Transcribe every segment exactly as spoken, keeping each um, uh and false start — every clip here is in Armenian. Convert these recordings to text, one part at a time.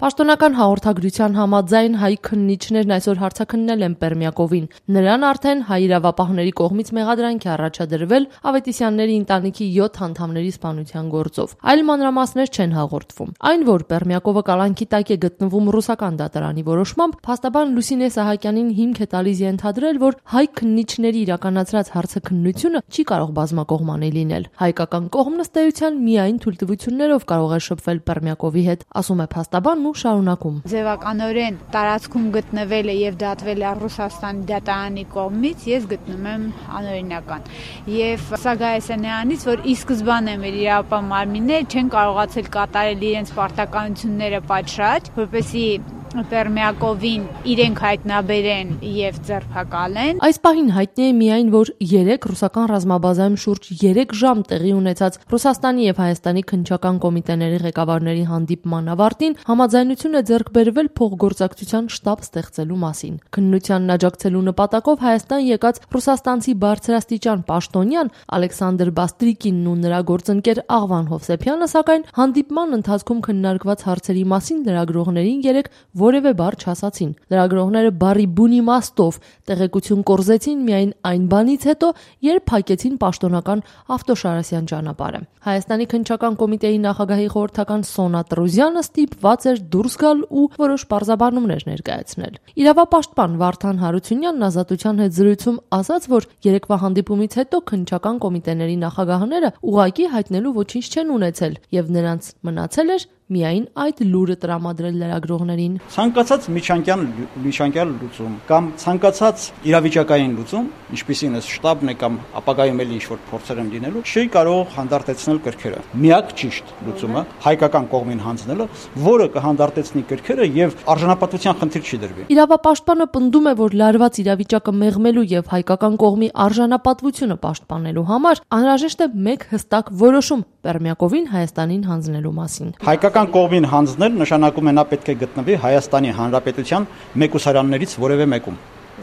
Պաշտոնական հաղորդագրության համաձայն հայ քննիչներն այսօր հարցաքննել են Պերմյակովին։ Նրան արդեն հայ իրավապահների կողմից մեղադրանք է առաջադրվել Ավետիսյանների ընտանիքի յոթ անդամների սպանության գործով։ Այլ մանրամասներ չեն հաղորդվում։ Այն, որ Պերմյակովը կալանքի տակ է գտնվում ռուսական դատարանի որոշմամբ, փաստաբան Լուսինե Սահակյանին հիմք է տալիս ենթադրել, որ հայ քննիչների իրականացրած հարցաքննությունը չի կարող բազմակողմանի լինել։ Հայկական կողմն ըստ էության միայն թույլտվություններով կարող է շփվել Պերմյակովի հետ, ասում է փաստաբանն ու շարունակում. Ձևականորեն տարածքում գտնվել է եւ դատվել է Ռուսաստանի դատարանի կողմից, ես գտնում եմ անօրինական։ Եվ սա գայս է նրանից, որ ի սկզբանե մեր իրավապահ մարմինները չեն կարողացել կատարել իրենց պարտականությունները պատշաճ, որպեսզի Պերմյակովին իրենք հայտնաբերեն եւ ձերբակալեն։ Այս պահին հայտնի է միայն, որ երեք ռուսական ռազմաբազայում շուրջ երեք ժամ տեղի ունեցած Ռուսաստանի եւ Հայաստանի քննչական կոմիտեների ղեկավարների հանդիպման ավարտին համաձայնություն է ձեռք բերվել փոխգործակցության շտաբ ստեղծելու մասին։ Քննությանն աջակցելու նպատակով Հայաստան եկած ռուսաստանցի բարձրաստիճան պաշտոնյան Ալեքսանդր Բաստրիկինն ու նրա գործընկեր Աղվան Հովսեփյանը, սակայն հանդիպման ընթացքում քննարկված հարցերի մասին լրագրողներին երեք որևէ բառ չասացին։ Լրագրողները բառի բուն իմաստով տեղեկություն կորզեցին միայն այն բանից հետո, երբ փակեցին պաշտոնական Ավտոշարասյան ճանապարհը։ Հայաստանի քննչական կոմիտեի նախագահի խորհրդական Սոնա Տրուզյանը ստիպված էր դուրս գալ ու որոշ պարզաբանումներ ներկայացնել։ Իրավապաշտպան Վարդան Հարությունյանն Ազատության հետ զրույցում ասաց, որ երեկվա հանդիպումից հետո քննչական կոմիտեների նախագահները ուղղակի հայտնելու ոչինչ չեն ունեցել եւ նրանց մնացել էր միայն այդ լուրը տրամադրել լրագրողներին։ Ցանկացած միջանկյալ միջանկյալ լուծում կամ ցանկացած իրավիճակային լուծում, ինչպիսին է շտաբն է կամ ապագայում էլ ինչ-որ փորձեր են լինելու, չի կարող հանդարտեցնել կրքերը։ Միակ ճիշտ լուծումը հայկական կողմին հանձնելը, որը կհանդարտեցնի կրքերը եւ արժանապատվության խնդիր չի դրվի։ Իրավապաշտպանը պնդում է, որ լարված իրավիճակը մեղմելու եւ հայկական կողմի արժանապատվությունը պաշտպանելու համար անհրաժեշտ է մեկ հստակ որոշում Պերմյակովին Հայաստանին հանձնելու մասին։ Հայկական կողմին հանձնել նշանակում է նա պետք է գտնվի Հայաստանի Հանրապետության մեկուսարաններից որևէ մեկում,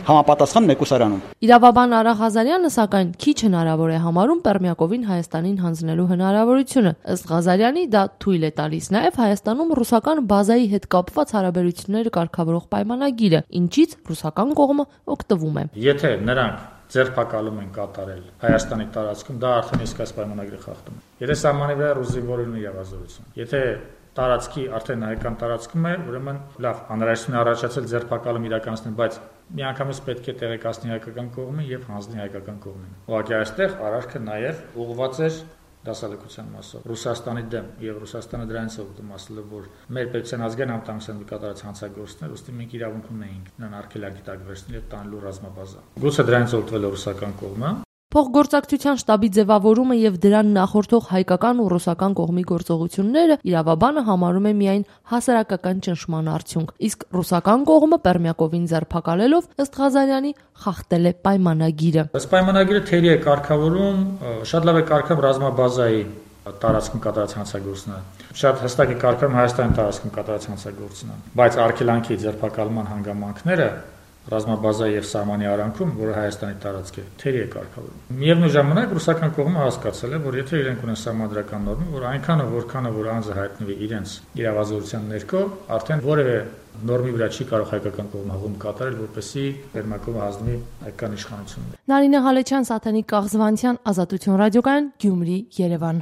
համապատասխան մեկուսարանում։ Իրավաբան Արա Ղազարյանը, սակայն, քիչ հնարավոր է համարում Պերմյակովին Հայաստանին հանձնելու հնարավորությունը։ Ըստ Ղազարյանի, դա թույլ է տալիս նաև Հայաստանում ռուսական բազայի հետ կապված հարաբերությունները կարգավորող պայմանագիրը, ինչից ռուսական կողմը օգտվում է։ Եթե նրանք ձերբակալում են կատարել Հայաստանի տարածքում, դա արդեն իսկ այս պայմանագրի խախտում է։ Եթե սահմանի վրա ռուսիվորին իրավազորություն։ Եթե տարածքի արդեն հայկական տարածքում է, ուրեմն լավ, անհրաժեշտություն է առաջացել ձերբակալում իրականացնել, բայց միանգամից պետք է տեղեկացնի հայկական կողմին եւ հանձնի հայկական կողմին։ Ուղղակի այստեղ արարքը նաեւ ուղղված էր դասալեկության մասով Ռուսաստանի դեմ եւ Ռուսաստանը դրանից օգտվում ասելով, որ մեր պետության ազգային անվտանգության կատարած հանցագործներ, ըստ մենք իրավունք ունեինք նրան արգելակի տակ վերցնել եւ տանելու ռազմաբազա։ Գուցե դրանից օգտվել է ռուսական կողմը։ Փոխգործակցության շտաբի ձևավորումը եւ դրան նախորդող հայկական ու ռուսական կողմի գործողությունները իրավաբանը համարում է միայն հասարակական ճնշման արդյունք, իսկ ռուսական կողմը Պերմյակովին ձերբակալելով ըստ Ղազարյանի խախտել է պայմանագիրը։ Այս պայմանագիրը թերի է կարգավորում, շատ լավ է կարգավորում ռազմաբազայի տարածքում կատարած հանցագործությունը, շատ հստակ է կարգավորում Հայաստանի տարածքում կատարած հանցագործությունը, բայց արգելանքի ձերբակալման հանգամանքները ռազմաբազայի եւ սահմանի արանքում, որը Հայաստանի տարածք է, թերի է կարգավորում։ Միևնույն ժամանակ ռուսական կողմը հասկացել է, որ եթե իրենք ունեն սահմանադրական նորմը, որ այնքանը որքանը որ անձը հայտնվի իրենց իրավազորության ներքո, արդեն որևէ նորմի վրա չի կարող հայկական կողմը հողում կատարել, որպեսզի Պերմյակովը հանձնվի հայկական իշխանություններին։ Նարինե Հալեչյան, Սաթենիկ Կաղզվանցյան, Ազատություն ռադիոկայան, Գյումրի, Երևան։